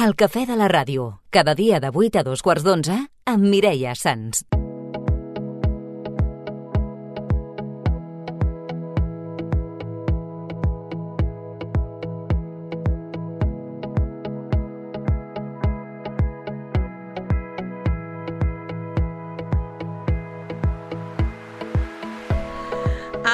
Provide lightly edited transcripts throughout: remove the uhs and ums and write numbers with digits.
El cafè de la ràdio, cada dia de 8 a 2:15 amb Mireia Sans.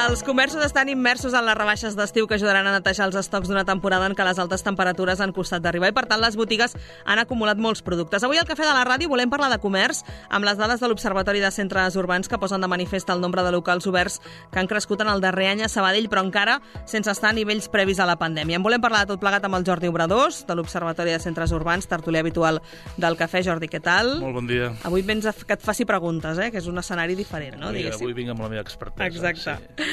Els comerços estan immersos en les rebaixes d'estiu que ajudaran a netejar els estocs d'una temporada en què les altes temperatures han costat d'arribar i, per tant, les botigues han acumulat molts productes. Avui al Cafè de la Ràdio volem parlar de comerç amb les dades de l'Observatori de Centres Urbans que posen de manifest el nombre de locals oberts que han crescut en el darrer any a Sabadell, però encara sense estar a nivells previs a la pandèmia. En volem parlar de tot plegat amb el Jordi Obradors, de l'Observatori de Centres Urbans, tertulià habitual del Cafè. Jordi, què tal? Molt bon dia. Avui vens que et faci preguntes, que és un escenari diferent, no? Avui vinc amb la meva expertesa. Exacte. Sí.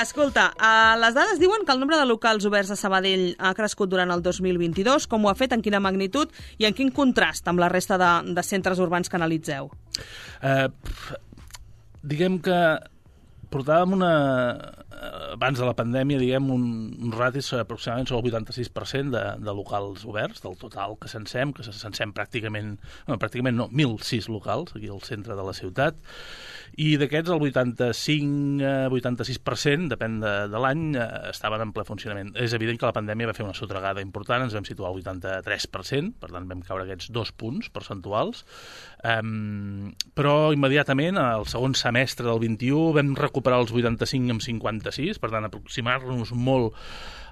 Escolta, les dades diuen que el nombre de locals oberts a Sabadell ha crescut durant el 2022. Com ho ha fet, en quina magnitud i en quin contrast amb la resta de centres urbans que analitzeu? Diguem que portàvem abans de la pandèmia, un ràtis aproximadament sobre el 86% de locals oberts, del total que censem pràcticament 1.006 locals aquí al centre de la ciutat, i d'aquests el 85-86%, depèn de l'any, estaven en ple funcionament. És evident que la pandèmia va fer una sotregada important, ens vam situar al 83%, per tant vam caure aquests 2 punts percentuals, però immediatament, al segon semestre del 21, vam recuperar els 85 amb 56, per tant aproximar-nos molt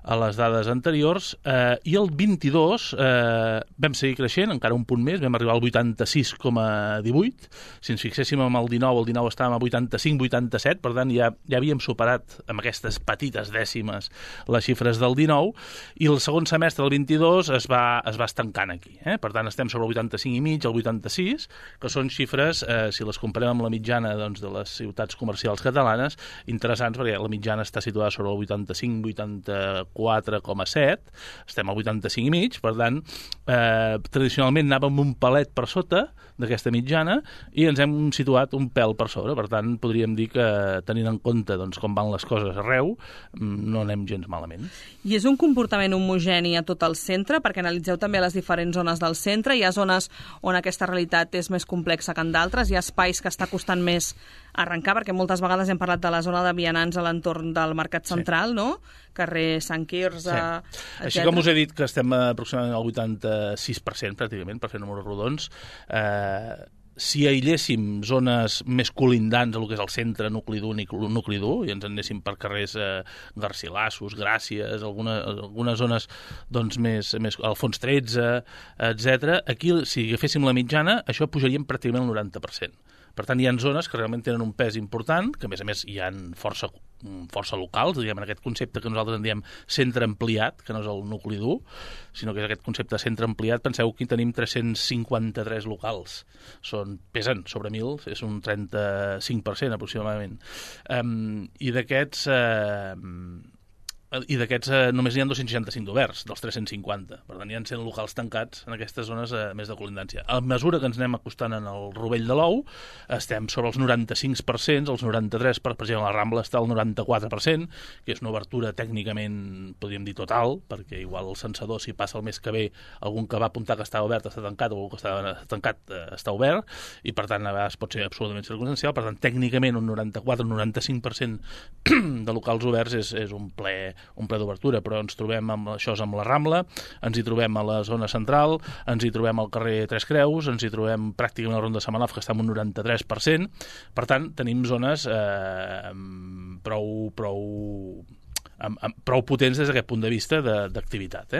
a les dades anteriors, i el 22 vam seguir creixent, encara un punt més, vam arribar al 86,18. Si ens fixéssim amb el 19 estàvem a 85-87, per tant ja havíem superat amb aquestes petites dècimes les xifres del 19, i el segon semestre del 22 es va estancant aquí. Per tant, estem sobre el 85,5, el 86, que són xifres, si les comparem amb la mitjana de les ciutats comercials catalanes, interessants, perquè la mitjana està situada sobre el 85-84,7, estem al 85,5, per tant, tradicionalment anàvem un palet per sota d'aquesta mitjana i ens hem situat un pèl per sobre. Per tant, podríem dir que, tenint en compte com van les coses arreu, no anem gens malament. I és un comportament homogeni a tot el centre, perquè analitzeu també les diferents zones del centre. Hi ha zones on aquesta realitat és més complexa que en d'altres, hi ha espais que està costant més arrencar, perquè moltes vegades hem parlat de la zona de vianants a l'entorn del Mercat Central, no? Carrer Sant Quirze, etc. Així com us he dit que estem aproximadament al 86%, pràcticament, per fer números rodons, si aïlléssim zones més colindants a lo que és el centre, nucli dur, i ens anéssim per carrers Garcilassos, Gràcies, algunes zones més Alfons 13, etc. Aquí, si agaféssim la mitjana, això pujaríem pràcticament el 90%. Per tant, hi ha zones que realment tenen un pes important, que a més hi ha força locals, diguem, en aquest concepte que nosaltres en diem centre ampliat, que no és el nucli dur, sinó que és aquest concepte de centre ampliat. Penseu que hi tenim 353 locals. Pesen sobre 1.000, és un 35% aproximadament. I d'aquests només n'hi ha 265 d'oberts, dels 350. Per tant, hi ha 100 locals tancats en aquestes zones més de colindància. A mesura que ens anem acostant en el Rovell de l'Ou, estem sobre els 95%, els 93%, per exemple, la Rambla està al 94%, que és una obertura tècnicament, podríem dir, total, perquè igual el censador, si passa el mes que ve, algun que va apuntar que estava obert està tancat, o algun que estava tancat està obert, i per tant, a vegades pot ser absolutament circumstancial. Per tant, tècnicament, un 94-95% de locals oberts és un ple d'obertura, però ens trobem amb la Rambla, ens hi trobem a la zona central, ens hi trobem al carrer Tres Creus, ens hi trobem pràcticament a la Ronda de Samenov, que està en un 93%. Per tant, tenim zones prou potents des d'aquest punt de vista d'activitat.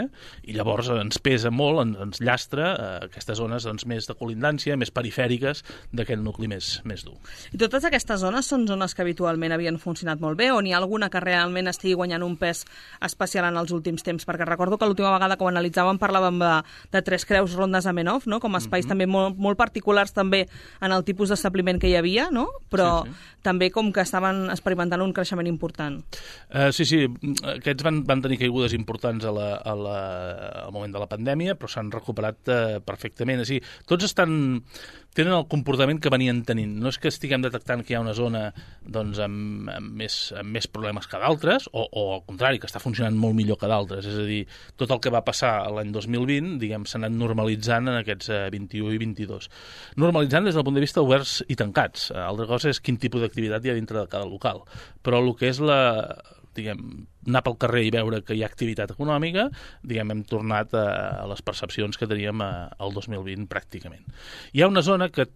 I llavors ens pesa molt, ens llastra aquestes zones més de colindància, més perifèriques d'aquest nucli més dur. I totes aquestes zones són zones que habitualment havien funcionat molt bé, o n'hi ha alguna que realment estigui guanyant un pes especial en els últims temps? Perquè recordo que l'última vegada que ho analitzàvem parlàvem de Tres Creus, Ronda de Samenov, no? Com a espais també molt particulars també en el tipus d'establiment que hi havia, no? Però també com que estaven experimentant un creixement important. Sí, aquests van tenir caigudes importants al moment de la pandèmia, però s'han recuperat perfectament. És a dir, tots tenen el comportament que venien tenint. No és que estiguem detectant que hi ha una zona doncs, amb més problemes que d'altres, o al contrari, que està funcionant molt millor que d'altres. És a dir, tot el que va passar l'any 2020, diguem, s'ha anat normalitzant en aquests 21 i 22. Normalitzant des del punt de vista oberts i tancats. Altra cosa és quin tipus d'activitat hi ha dintre de cada local. Però el que és anar pel carrer i veure que hi ha activitat econòmica, hem tornat a les percepcions que teníem al 2020 pràcticament. Hi ha una zona que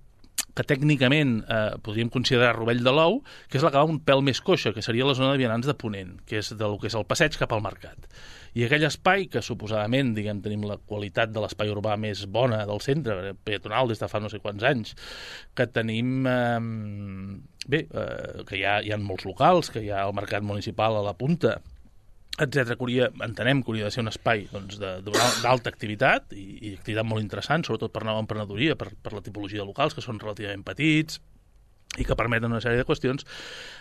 tècnicament podríem considerar Rovell de l'Ou, que és la que va un pèl més coixa, que seria la zona de vianants de Ponent, que és del que és el passeig cap al mercat. I aquell espai, que suposadament tenim la qualitat de l'espai urbà més bona del centre, peatonal des de fa no sé quants anys, que tenim... que hi ha molts locals, que hi ha el mercat municipal a la punta, etcètera, entenem que hauria de ser un espai d'alta activitat i activitat molt interessant, sobretot per nova emprenedoria, per la tipologia de locals, que són relativament petits i que permeten una sèrie de qüestions.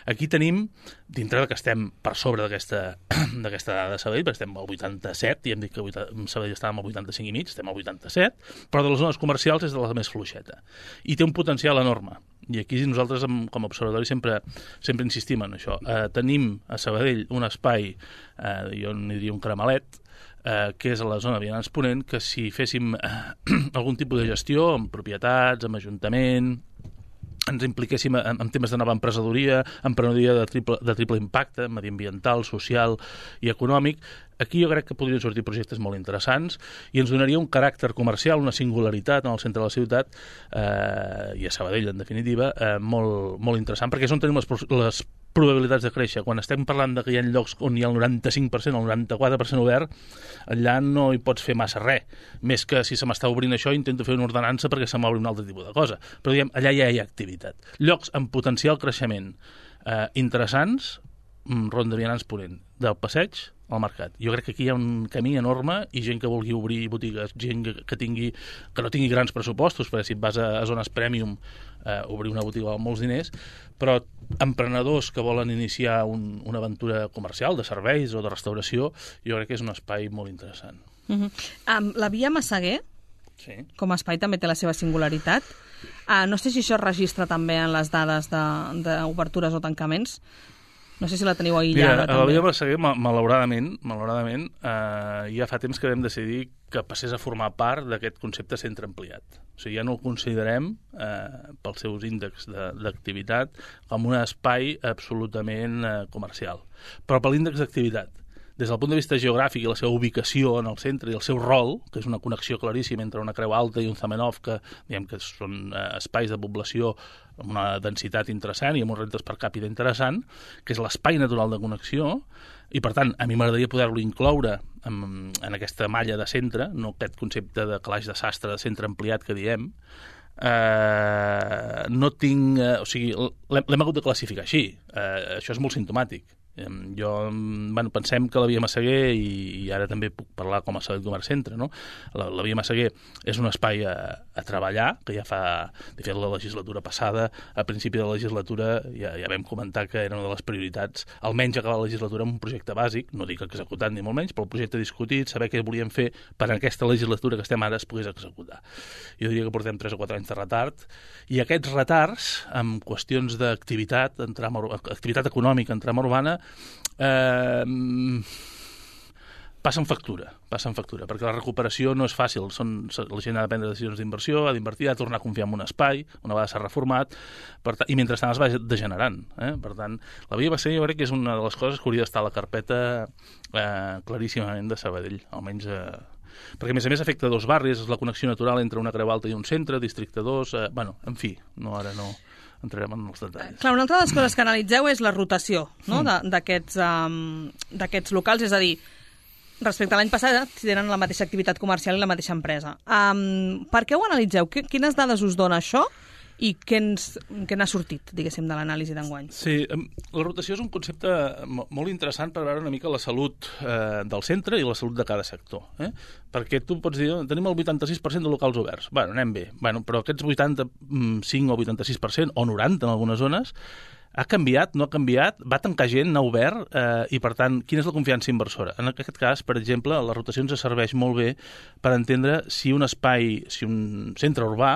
Aquí tenim, dintre de que estem per sobre d'aquesta dada de Sabadell, perquè estem al 87, i hem dit que Sabadell estàvem al 85,5, estem al 87, però de les zones comercials és de la més fluixeta. I té un potencial enorme. I aquí nosaltres, com a observatori, sempre insistim en això. Tenim a Sabadell un espai, jo n'hi diria un cremalet, que és a la zona de Vianants Ponent, que si féssim algun tipus de gestió, amb propietats, amb ajuntament, ens impliquéssim en temes de nova emprenedoria de triple impacte, mediambiental, social i econòmic, aquí jo crec que podrien sortir projectes molt interessants i ens donaria un caràcter comercial, una singularitat en el centre de la ciutat i a Sabadell, en definitiva, molt, molt interessant, perquè és on tenim les probabilitats de créixer. Quan estem parlant de que hi ha llocs on hi ha el 95% o el 94% obert, allà no hi pots fer massa res. Més que si se m'està obrint això, intento fer una ordenança perquè se m'obri un altre tipus de cosa. Però allà ja hi ha activitat. Llocs amb potencial creixement interessants, Ronda Vianants Ponent, del passeig al mercat. Jo crec que aquí hi ha un camí enorme i gent que vulgui obrir botigues, gent que no tingui grans pressupostos, perquè si et vas a zones premium obrir una botiga amb molts diners, però emprenedors que volen iniciar una aventura comercial, de serveis o de restauració, jo crec que és un espai molt interessant. La Via Massaguer, sí, com a espai, també té la seva singularitat. No sé si això es registra també en les dades d'obertures o tancaments. No sé si la teniu aïllada. Mira, a la Via Massaguer, malauradament, ja fa temps que vam decidir que passés a formar part d'aquest concepte centre ampliat. O sigui, ja no el considerem, pels seus índexs d'activitat, com un espai absolutament comercial. Però per l'índex d'activitat, des del punt de vista geogràfic i la seva ubicació en el centre i el seu rol, que és una connexió claríssima entre una Creu Alta i un Zamenhof, que són espais de població amb una densitat interessant i amb uns rentes per càpita interessant, que és l'espai natural de connexió, i per tant, a mi m'agradaria poder-lo incloure en aquesta malla de centre, no aquest concepte de calaix de sastre de centre ampliat que diem. No tinc... O sigui, l'hem hagut de classificar així. Això és molt simptomàtic. Pensem que la Via Massaguer, i ara també puc parlar com a Sabadell Comerç Centre, no? La Via Massaguer és un espai a treballar, que ja fa, de fet, la legislatura passada, a principi de la legislatura ja vam comentar que era una de les prioritats, almenys acabar la legislatura amb un projecte bàsic, no dic executat ni molt menys, però el projecte discutit, saber què volíem fer per a aquesta legislatura que estem ara es pogués executar. Jo diria que portem 3 o 4 anys de retard, i aquests retards, amb qüestions d'activitat, activitat econòmica en trama urbana, passen factura, perquè la recuperació no és fàcil. La gent ha de prendre decisions d'inversió, ha d'invertir, ha de tornar a confiar en un espai, una vegada s'ha reformat, i mentrestant es va degenerant. Per tant, la Via Massaguer jo crec que és una de les coses que hauria d'estar a la carpeta claríssimament de Sabadell, almenys... perquè, a més afecta 2 barris, és la connexió natural entre una Creu Alta i un centre, districte 2... en fi, ara no entrarem en els detalls. Clar, una altra de les coses que analitzeu és la rotació, no? d'aquests locals, és a dir, respecte a l'any passat, tenen la mateixa activitat comercial i la mateixa empresa. Per què ho analitzeu? Quines dades us dona això? I què n'ha sortit, diguéssim, de l'anàlisi d'enguany? Sí, la rotació és un concepte molt interessant per veure una mica la salut del centre i la salut de cada sector. Perquè tu pots dir, tenim el 86% de locals oberts. Anem bé. Però aquests 85 o 86%, o 90 en algunes zones, Ha canviat, no ha canviat, va tancar gent, n'ha obert, i per tant, quina és la confiança inversora? En aquest cas, per exemple, les rotacions es serveix molt bé per entendre si un espai, si un centre urbà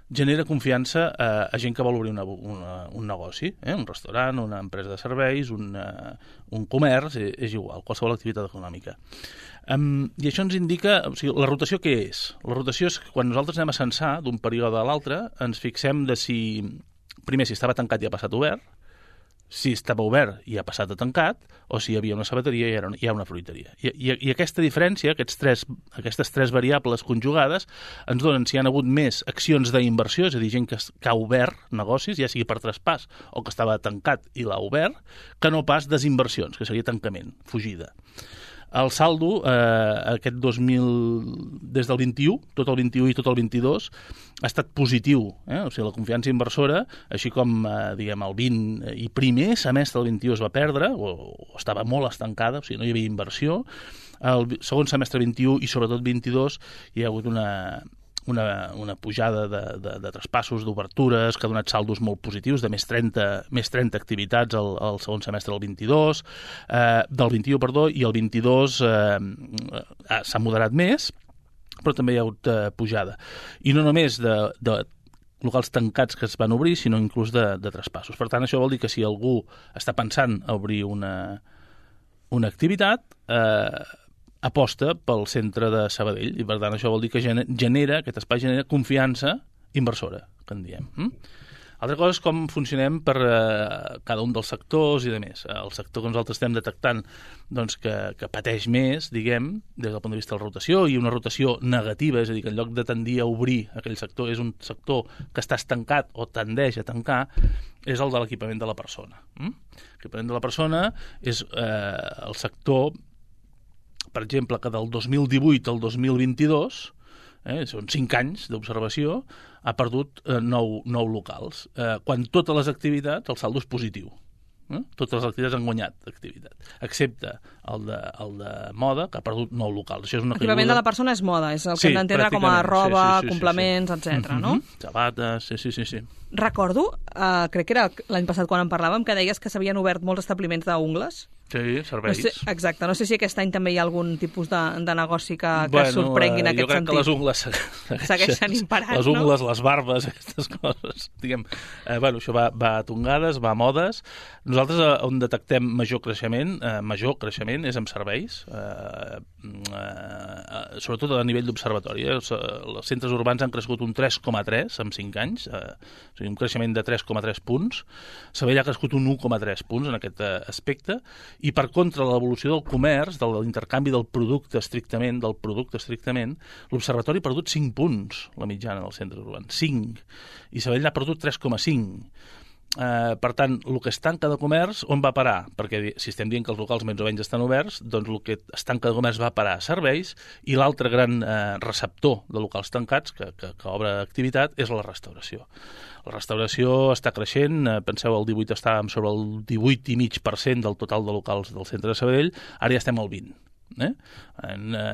genera confiança a gent que vol obrir un negoci, un restaurant, una empresa de serveis, un comerç, és igual, qualsevol activitat econòmica. I això ens indica, o sigui, la rotació què és? La rotació és que quan nosaltres anem a censar d'un període a l'altre, ens fixem de si, primer, si estava tancat i ha passat obert, si estava obert i ha passat a tancat, o si hi havia una sabateria i hi ha una fruiteria. I aquesta diferència, aquestes tres variables conjugades, ens donen si hi ha hagut més accions d'inversió, és a dir, gent que ha obert negocis, ja sigui per traspàs o que estava tancat i l'ha obert, que no pas desinversions, que seria tancament, fugida. El saldo, aquest 2000, des del 21, tot el 21 i tot el 22, ha estat positiu. O sigui, la confiança inversora, així com diguem, el 20 i primer semestre del 21 es va perdre, o estava molt estancada, o sigui, no hi havia inversió. El segon semestre 21 i sobretot 22 hi ha hagut una pujada de traspassos, d'obertures, que ha donat saldos molt positius, de més 30 activitats al segon semestre del 22, del 21, perdó, i el 22 s'ha moderat més, però també hi ha hagut pujada. I no només de locals tancats que es van obrir, sinó inclús de traspassos. Per tant, això vol dir que si algú està pensant a obrir una activitat, aposta pel centre de Sabadell, i per tant això vol dir que aquest espai genera confiança inversora, que en diem. Altra cosa és com funcionem per cada un dels sectors i de més. El sector que nosaltres estem detectant doncs, que pateix més, diguem, des del punt de vista de la rotació, i una rotació negativa, és a dir, que en lloc de tendir a obrir aquell sector, és un sector que està estancat o tendeix a tancar, és el de l'equipament de la persona. L'equipament de la persona és el sector, per exemple, que del 2018 al 2022, són 5 anys d'observació, ha perdut 9 locals. Quan totes les activitats, el saldo és positiu. Totes les activitats han guanyat activitat, excepte el de moda, que ha perdut 9 locals. Això és una L'equipament de la persona és moda, és el que hem d'entendre com a roba, complements, etc. no? Sabates, sí. Recordo, crec que era l'any passat quan en parlàvem, que deies que s'havien obert molts establiments d'ungles. Sí, serveis. No sé, exacte, no sé si aquest any també hi ha algun tipus de negoci que sorprengui en aquest sentit. Jo crec que les ungles segueixen imparant, les ungles, les barbes, aquestes coses. Diguem, això va a tongades, va a modes. Nosaltres on detectem major creixement és en serveis, sobretot a nivell d'observatori. Els centres urbans han crescut un 3,3 en 5 anys, o sigui, un creixement de 3,3 punts. Sabadell ha crescut un 1,3 punts en aquest aspecte, i per contra l'evolució del comerç, de l'intercanvi del producte estrictament, l'observatori ha perdut 5 punts, la mitjana dels centres urbans, 5, i Sabadell n'ha perdut 3,5. Per tant, el que es tanca de comerç, on va parar? Perquè si estem dient que els locals més o menys estan oberts, doncs el que es tanca de comerç va parar a serveis, i l'altre gran receptor de locals tancats que obre activitat és la restauració. La restauració està creixent, penseu, el 18 estàvem sobre el 18,5% del total de locals del centre de Sabadell, ara ja estem al 20%.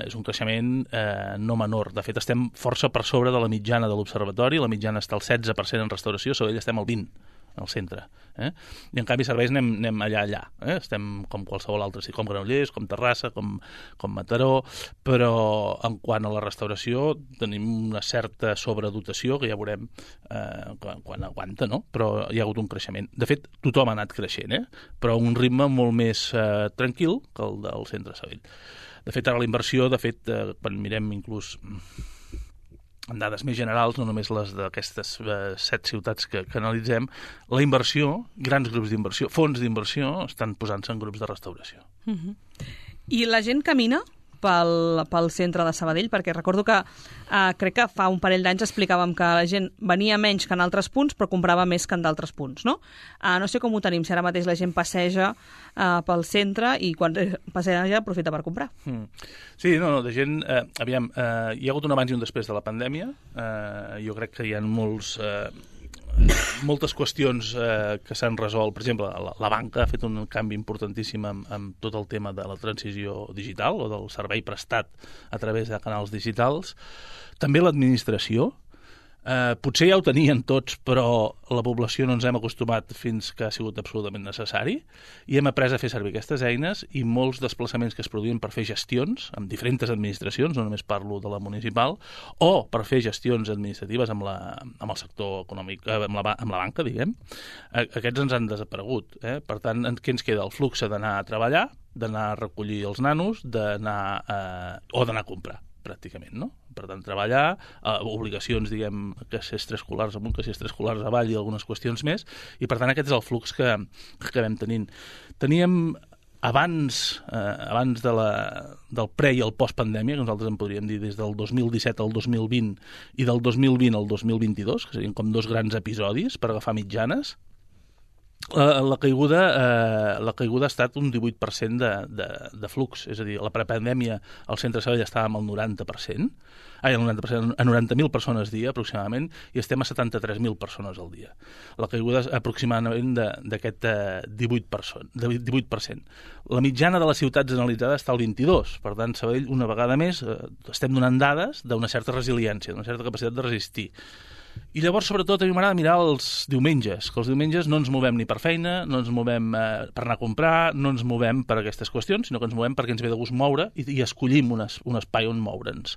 És un creixement no menor. De fet, estem força per sobre de la mitjana de l'observatori, la mitjana està al 16% en restauració, a Sabadell estem al 20%. Al centre. I en canvi serveis anem allà. Estem com qualsevol altre, com Granollers, com Terrassa, com Mataró, però en quant a la restauració tenim una certa sobredotació que ja veurem quan aguanta, no? Però hi ha hagut un creixement. De fet, tothom ha anat creixent, però a un ritme molt més tranquil que el del centre de Sabadell. De fet, ara la inversió, quan mirem inclús en dades més generals, no només les d'aquestes 7 ciutats que analitzem, la inversió, grans grups d'inversió, fons d'inversió, estan posant-se en grups de restauració. I la gent camina pel centre de Sabadell? Perquè recordo que crec que fa un parell d'anys explicàvem que la gent venia menys que en altres punts, però comprava més que en d'altres punts, no? No sé com ho tenim, si ara mateix la gent passeja pel centre i quan passeja aprofita per comprar. Sí, no, de gent... Aviam, hi ha hagut un abans i un després de la pandèmia. Jo crec que hi ha moltes qüestions que s'han resolt. Per exemple, la banca ha fet un canvi importantíssim amb tot el tema de la transició digital o del servei prestat a través de canals digitals. També l'administració. Potser ja ho tenien tots, però la població no ens hem acostumat fins que ha sigut absolutament necessari i hem après a fer servir aquestes eines i molts desplaçaments que es produïen per fer gestions amb diferents administracions, no només parlo de la municipal, o per fer gestions administratives amb el sector econòmic, amb la banca, diguem, aquests ens han desaparegut. Per tant, què ens queda? El flux d'anar a treballar, d'anar a recollir els nanos, o d'anar a comprar, pràcticament, no? Per tant, treballar, obligacions, diguem, caixers extraescolars amunt, caixers extraescolars avall i algunes qüestions més, i per tant aquest és el flux que acabem tenint. Teníem abans del pre i el post-pandèmia, que nosaltres en podríem dir des del 2017 al 2020 i del 2020 al 2022, que serien com dos grans episodis per agafar mitjanes, la caiguda ha estat un 18% de flux, és a dir, la prepandèmia al centre de Sabadell estàvem al 90%, a 90.000 persones dia aproximadament, i estem a 73.000 persones al dia. La caiguda és aproximadament d'aquest 18%. La mitjana de les ciutats analitzades està al 22%, per tant, Sabadell, una vegada més, estem donant dades d'una certa resiliència, d'una certa capacitat de resistir. I llavors, sobretot, a mi m'agrada mirar els diumenges, que els diumenges no ens movem ni per feina, no ens movem per anar a comprar, no ens movem per aquestes qüestions, sinó que ens movem perquè ens ve de gust moure i escollim un espai on moure'ns.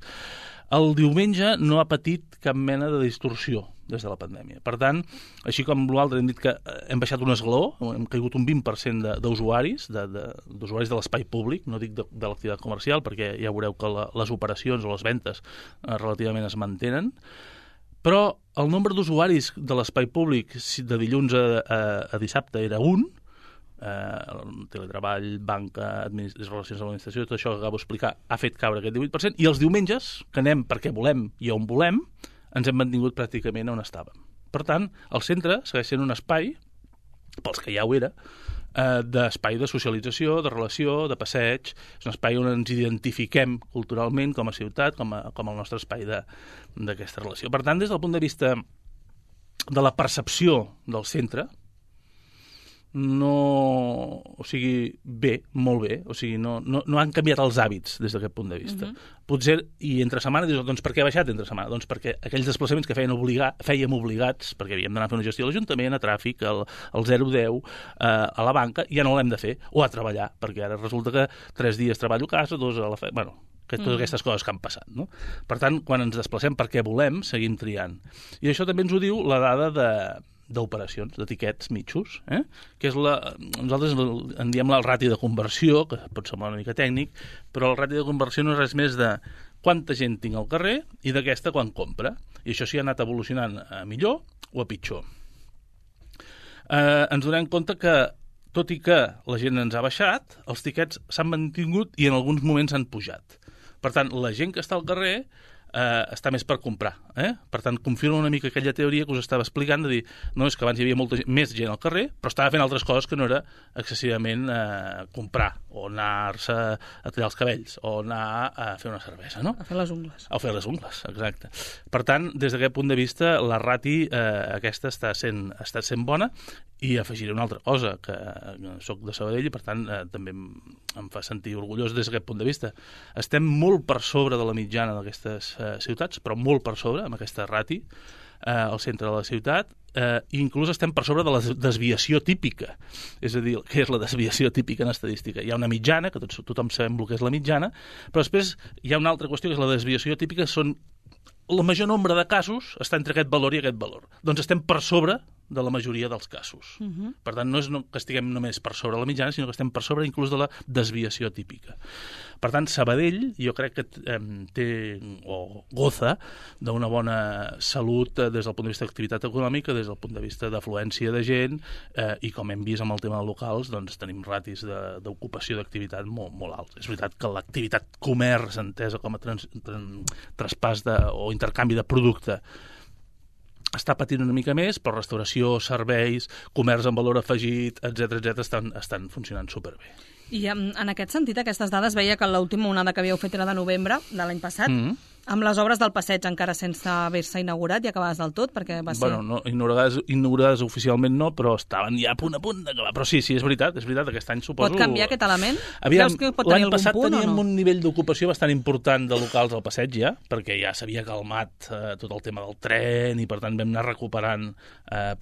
El diumenge no ha patit cap mena de distorsió des de la pandèmia. Per tant, així com l'altre hem dit que hem baixat un esglaó, hem caigut un 20% d'usuaris, d'usuaris de l'espai públic, no dic de l'activitat comercial, perquè ja veureu que les operacions o les ventes relativament es mantenen, però el nombre d'usuaris de l'espai públic de dilluns a dissabte era 1, teletreball, banca, relacions amb l'administració, tot això que acabo d'explicar ha fet caure aquest 18%, i els diumenges, que anem perquè volem i on volem, ens hem mantingut pràcticament on estàvem. Per tant, el centre segueix sent un espai, pels que ja ho era, d'espai de socialització, de relació, de passeig. És un espai on ens identifiquem culturalment com a ciutat, com el nostre espai d'aquesta relació. Per tant, des del punt de vista de la percepció del centre, molt bé, o sigui, no han canviat els hàbits des d'aquest punt de vista. Potser, i entre setmana, dius, doncs per què ha baixat entre setmana? Doncs perquè aquells desplaçaments que fèiem obligats, perquè havíem d'anar a fer una gestió a l'Ajuntament, a tràfic, al 010, a la banca, ja no l'hem de fer, o a treballar, perquè ara resulta que 3 dies treballo a casa, 2 a la feina, totes aquestes coses que han passat, no? Per tant, quan ens desplacem perquè volem, seguim triant. I això també ens ho diu la dada d'operacions, de tiquets mitjos, que és nosaltres en diem el rati de conversió, que pot semblar una mica tècnic, però el rati de conversió no és res més de quanta gent tinc al carrer i d'aquesta quan compra. I això sí ha anat evolucionant a millor o a pitjor. Ens donem compte que, tot i que la gent ens ha baixat, els tiquets s'han mantingut i en alguns moments han pujat. Per tant, la gent que està al carrer està més per comprar. Per tant, confirma una mica aquella teoria que us estava explicant, de dir, no, és que abans hi havia més gent al carrer, però estava fent altres coses que no era excessivament comprar, o anar-se a tallar els cabells, o anar a fer una cervesa, no? A fer les ungles. A fer les ungles, exacte. Per tant, des d'aquest punt de vista, la rati aquesta està sent bona, i afegiré una altra cosa, que soc de Sabadell i, per tant, també em fa sentir orgullós des d'aquest punt de vista. Estem molt per sobre de la mitjana d'aquestes ciutats, però molt per sobre, amb aquesta rati, al centre de la ciutat, i inclús estem per sobre de la desviació típica. És a dir, què és la desviació típica en estadística? Hi ha una mitjana, que tothom sabem el que és la mitjana, però després hi ha una altra qüestió, que és la desviació típica, són el major nombre de casos està entre aquest valor i aquest valor. Doncs estem per sobre de la majoria dels casos. Per tant, no és que estiguem només per sobre la mitjana, sinó que estem per sobre inclús de la desviació típica. Per tant, Sabadell, jo crec que té o goza d'una bona salut des del punt de vista d'activitat econòmica, des del punt de vista d'afluència de gent, i com hem vist amb el tema de locals, doncs tenim ratis d'ocupació d'activitat molt alts. És veritat que l'activitat comerç, entesa com a traspàs o intercanvi de producte, està patint una mica més, però restauració, serveis, comerç amb valor afegit, etc estan funcionant superbé. I en aquest sentit, aquestes dades, veia que l'última onada que havíeu fet era de novembre de l'any passat, amb les obres del passeig encara sense haver-se inaugurat i acabades del tot, perquè va ser... Bueno, no, inaugurades oficialment no, però estaven ja a punt d'acabar. Però sí, és veritat, aquest any suposo... Pot canviar aquest element? Aviam, Creus que pot tenir algun punt o no? L'any passat teníem un nivell d'ocupació bastant important de locals al passeig ja, perquè ja s'havia calmat tot el tema del tren i per tant vam anar recuperant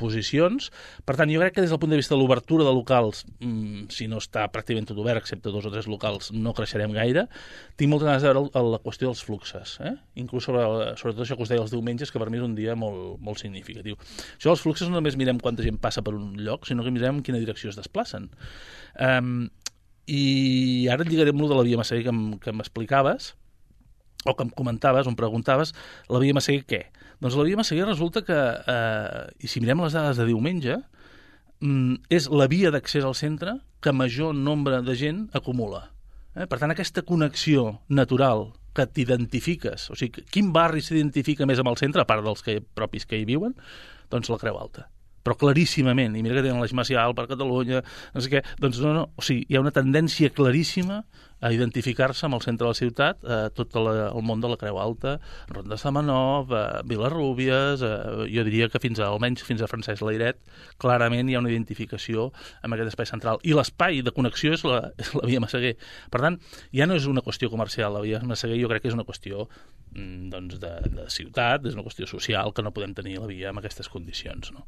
posicions. Per tant, jo crec que des del punt de vista de l'obertura de locals, si no està pràcticament tot obert, excepte 2 o 3 locals, no creixerem gaire. Tinc moltes ganes de veure la qüestió dels fluxes, inclús sobretot això que us deia els diumenges, que per mi és un dia molt, molt significatiu. Això dels fluxes no només mirem quanta gent passa per un lloc, sinó que mirem en quina direcció es desplacen. I ara et lligaré amb lo de la via Massaguer que m'explicaves, o que em comentaves, on preguntaves, la via Massaguer què? Doncs la via Massaguer resulta que, i si mirem les dades de diumenge, és la via d'accés al centre que major nombre de gent acumula. Per tant, aquesta connexió natural que t'identifiques, o sigui, quin barri s'identifica més amb el centre, a part dels propis que hi viuen, doncs la Creu Alta. Però claríssimament, i mira que tenen l'Eix Macià, el Parc Catalunya, no sé què, doncs no, o sigui, hi ha una tendència claríssima a identificar-se amb el centre de la ciutat, tot el món de la Creu Alta, Ronda de Samenov, Vilarrúbies, jo diria que almenys fins a Francesc Layret, clarament hi ha una identificació amb aquest espai central. I l'espai de connexió és la via Massaguer. Per tant, ja no és una qüestió comercial, la via Massaguer jo crec que és una qüestió doncs, de ciutat, és una qüestió social, que no podem tenir la via en aquestes condicions, no?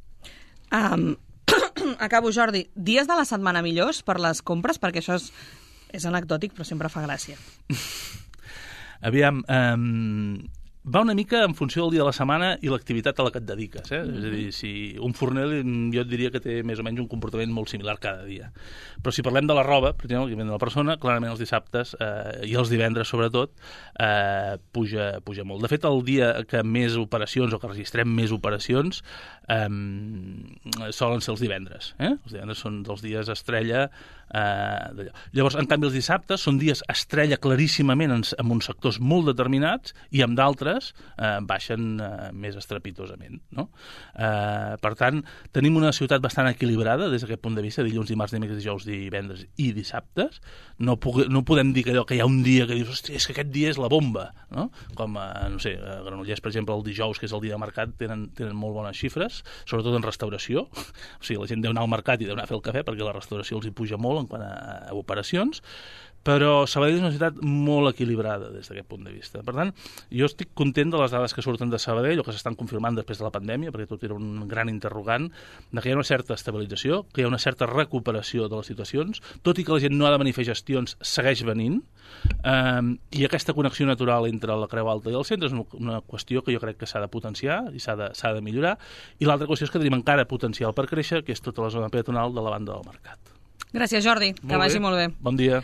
Acabo, Jordi. Dies de la setmana millors per les compres? Perquè això és anecdòtic, però sempre fa gràcia. Aviam, va una mica en funció del dia de la setmana i l'activitat a la que et dediques. És a dir, si un forner jo et diria que té més o menys un comportament molt similar cada dia. Però si parlem de la roba, per exemple, que ven de la persona, clarament els dissabtes i els divendres, sobretot, puja molt. De fet, el dia que més operacions o que registrem més operacions solen ser els divendres. Els divendres són dels dies estrella d'allò. Llavors, en canvi, els dissabtes són dies estrella claríssimament en uns sectors molt determinats i amb d'altres baixen més estrepitosament, no? Per tant, tenim una ciutat bastant equilibrada des d'aquest punt de vista, dilluns, dimarts, dimecres, dijous, divendres i dissabtes. No podem dir que hi ha un dia que dius, hòstia, és que aquest dia és la bomba, no? Com, no sé, a Granollers, per exemple, el dijous, que és el dia de mercat, tenen molt bones xifres, sobretot en restauració. O sigui, la gent deu anar al mercat i deu anar a fer el cafè perquè la restauració els hi puja molt en quant a operacions, però Sabadell és una ciutat molt equilibrada des d'aquest punt de vista. Per tant, jo estic content de les dades que surten de Sabadell o que s'estan confirmant després de la pandèmia, perquè tot era un gran interrogant, de que hi ha una certa estabilització, que hi ha una certa recuperació de les situacions, tot i que la gent no ha de venir a fer gestions, segueix venint, i aquesta connexió natural entre la Creu Alta i el centre és una qüestió que jo crec que s'ha de potenciar i s'ha de millorar, i l'altra qüestió és que tenim encara potencial per créixer, que és tota la zona peatonal de la banda del mercat. Gràcies, Jordi. Que vagi molt bé. Bon dia.